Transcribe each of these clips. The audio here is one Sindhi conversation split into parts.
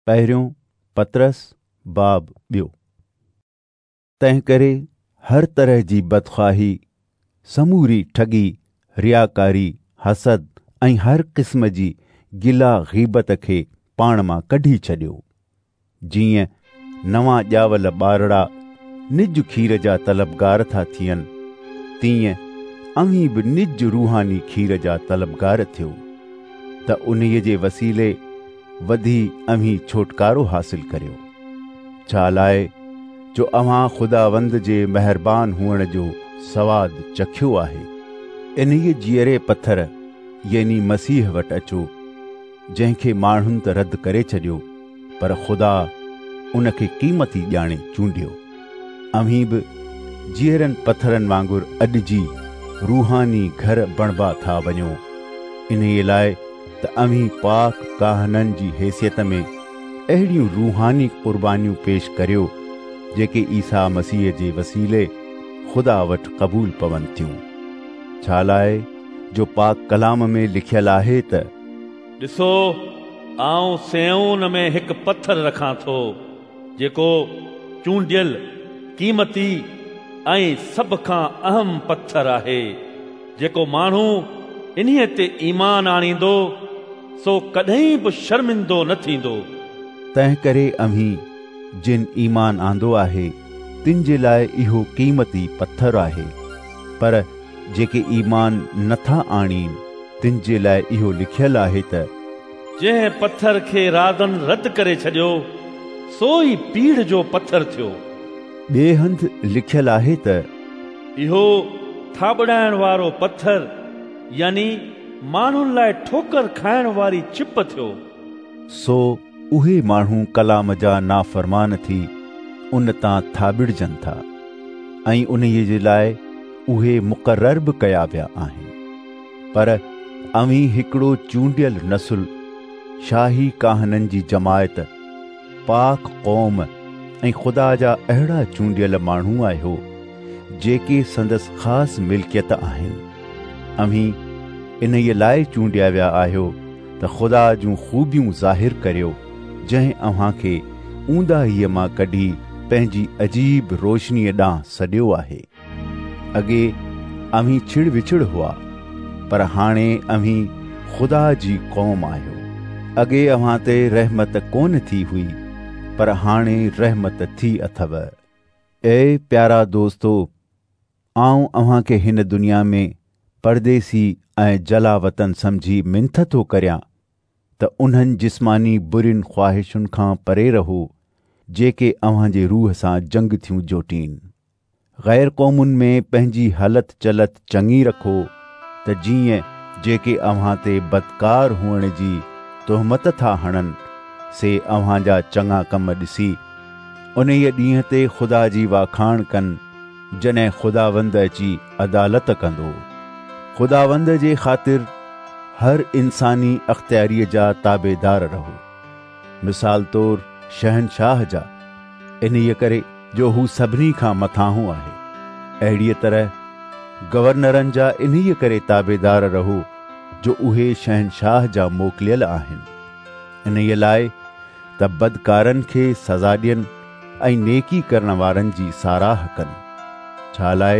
پهريون پطرس باب ٻيو. تنهنڪري هر طرح جي بدخواهي، سموري ٺڳي، رياڪاري، حسد ۽ هر قسم جي گلا غيبت کي پاڻ مان ڪڍي ڇڏيو. جيئن نوان ڄاول ٻارڙا نج کير جا طلبگار ٿا ٿين، تيئن اوهين به نج روحاني کير جا طلبگار ٿيو، ته انهيء جي وسيلي وڌي اوهين ڇوٽڪارو حاصل ڪريو. ڇا لاء جو اوهان خداوند جي مهربان هئڻ جو سواد چکيو آهي. انهيء جيئري پٿر يعني مسيح وٽ اچو، جنهن کي ماڻهن ته رد ڪري ڇڏيو، پر خدا ان کي قيمتي ڄاڻي چونڊيو. اوهين به جيئرن پٿرن وانگر اڏجي روحاني گهر بڻبا ٿا وڃو، انهيء لاء ته اوهين پاڪ ڪاهنن جي حيثيت ۾ اهڙيون روحاني قربانيون پيش ڪريو، جيڪي عيسيٰ مسيح جي وسيلي خدا وٽ قبول پون ٿيون. ڇا لاء جو پاڪ ڪلام ۾ لکيل آهي ته. ڏسو، آئون صيئون ۾ هڪ پٿر رکان ٿو، جيڪو چونڊيل، قيمتي ۽ سڀ کان اهم پٿر آهي. جيڪو ماڻهو انهيء تي ايمان آڻيندو، سو ڪڏهن به شرمندو نه ٿيندو. تنهنڪري اوهين، جن ايمان آندو آهي، تن جي لاء اهو قيمتي پٿر آهي، پر جيڪي ايمان نه ٿا آڻين، تن جي لاء اهو لکيل آهي ته. جنهن پٿر کي رازن رد ڪري ڇڏيو، سو ئي پيڙهه جو پٿر ٿيو. ٻئي هنڌ لکيل آهي ته. اهو ٿاٻڙائڻ وارو پٿر يعني ماڻهن لاء ٺوڪر کائڻ واري ڇپ ٿيو. سو اهي ماڻهو ڪلام جا نافرمان ٿي ان تان ٿاٻڙجن ٿا ۽ انهيء جي لاء اهي مقرر به ڪيا ويا آهن. پر اوهين هڪڙو چونڊيل نسل، شاهي ڪاهنن جي جماعت، پاڪ قوم ۽ خدا جا اهڙا چونڊيل ماڻهو آهيو، جيڪي سندس خاص ملڪيت آهن. اوهين انهيء لاء چونڊيا ويا آهيو ته خدا جون خوبيون ظاهر ڪريو، جنهن اوهان کي اونداهيء مان ڪڍي پنهنجي عجيب روشنيء ڏانهن سڏيو آهي. اڳي اوهين ڇڙ وڇڙ هئا، پر هاڻي اوهين خدا جي قوم آهيو. اڳي اوهان تي رحمت ڪونه ٿي هئي، پر هاڻي رحمت ٿي اٿو. اي پيارا دوستو، آئون اوهان کي هن دنيا ۾ پرديسي ۽ جلاوطن سمجهي منٿ ٿو ڪريان ته انهن جسماني برين خواهشن کان پري رهو، جيڪي اوهان جي روح سان جنگ ٿيون جوٽين. غير قومن ۾ پنهنجي هلت چلت چڱي رکو ته جيئن جيڪي اوهان تي بدڪار هئڻ جي تهمت ٿا هڻن، سي اوهان جا چڱا ڪم ڏسي، انهيء ڏينهن تي خدا جي واکاڻ ڪن، جڏهن خداوند اچي عدالت ڪندو. خداوند جي خاطر هر انساني اختياريء جا تابعدار رهو. مثال طور شهنشاهه جا، انهيء ڪري جو هو سڀني کان مٿانهون آهي. اهڙيء طرح گورنرن جا انهيء ڪري تابعدار رهو جو اهي شهنشاهه جا موڪليل آهن، انهيء لاء ته بدڪارن کي سزا ڏين ۽ نيڪي ڪرڻ وارن جي ساراهه ڪن. ڇا لاء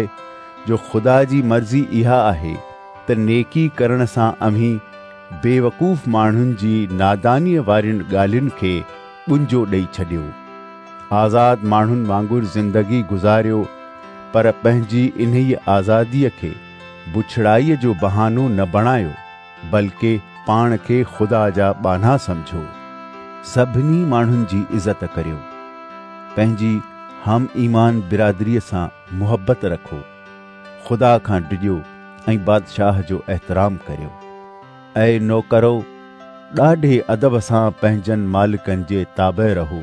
جو خدا جي مرضي اها آهي ته نيڪي ڪرڻ سان اوهين بيوقوف ماڻهن جي نادانيء وارين ڳالهين کي ٻنجو ڏئي ڇڏيو. آزاد ماڻهن وانگر زندگي گذاريو، پر پنهنجي انهيء آزاديء کي بڇڙائيء جو بهانو نه بڻايو، بلڪه پاڻ کي خدا جا ٻانها سمجهو. سڀني ماڻهن جي عزت ڪريو. پنهنجي هم ايمان برادريء سان محبت رکو. خدا کان ڊڄو ۽ بادشاهه جو احترام ڪريو. اي نوڪرؤ، ڏاڍي ادب سان پنهنجن مالڪن جي تابع رهو،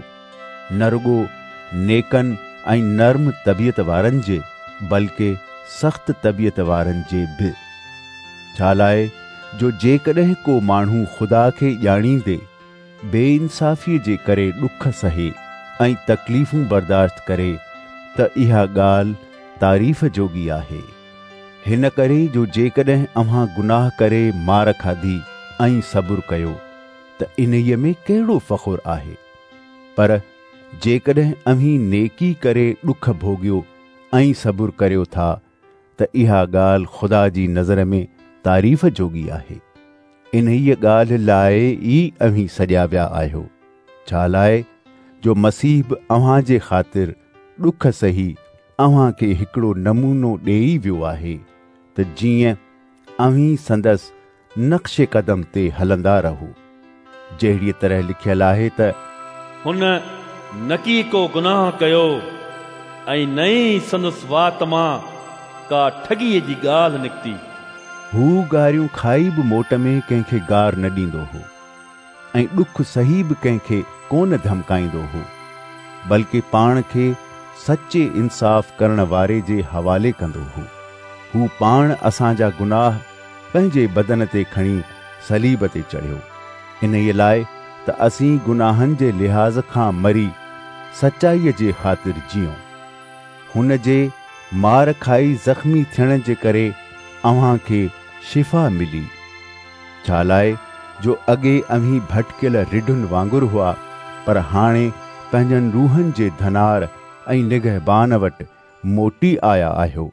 نه رڳو نيڪن ۽ نرم طبيعت وارن جي، بلڪه سخت طبيعت وارن جي به. ڇا لاء جو جيڪڏهن ڪو ماڻهو خدا کي ڄاڻيندي بي انصافيء جي ڪري ڏک سهي ۽ تڪليفون برداشت ڪري ته اها ڳالهه تعريف جوڳي آهي. هن ڪري جو جيڪڏهن اوهان گناهه ڪري مار کاڌي ۽ صبر ڪيو ته انهيء ۾ ڪهڙو فخر آهي؟ پر جيڪڏهن اوهين نيڪي ڪري ڏک ڀوڳيو ۽ صبر ڪريو ٿا ته اها ڳالهه خدا جي نظر ۾ تعريف جوڳي آهي. انهيء ڳالهه لاء ئي اوهين سڏيا ويا آهيو، ڇالاء جو مسيح به اوهان جي خاطر ڏک سهي اوهان کي هڪڙو نمونو ڏيئي ويو آهي ته جيئن اوهين سندس نقش قدم تي هلندا رهو. جهڙيء طرح لکيل آهي ته. هن نڪي ڪو گناهه ڪيو ۽ نه ئي سندس وات مان ڪا ٺڳيء جي ڳالهه نڪتي. هو گاريون کائي به موٽ ۾ ڪنهن کي گار نه ڏيندو هو ۽ ڏک سهي به ڪنهن کي ڪونه ڌمڪائيندو هو، بلڪ پاڻ کي سچي انصاف ڪرڻ واري جي حوالي ڪندو هو. هو پاڻ اسان جا گناهه پنهنجي بدن تي کڻي صليب تي چڙهيو، انهيء لاء ته اسين گناهن جي لحاظ کان مري سچائيء جي خاطر جيئون. هن جي مار کائي زخمي ٿيڻ جي ڪري اوهان کي شفا ملي. ڇالاء جو اڳي اوهين ڀٽڪيل رڍن وانگر هئا، پر هاڻي پنهنجن روحن جي ڌنار ۽ نگهبان وٽ موٽي آيا آهيو.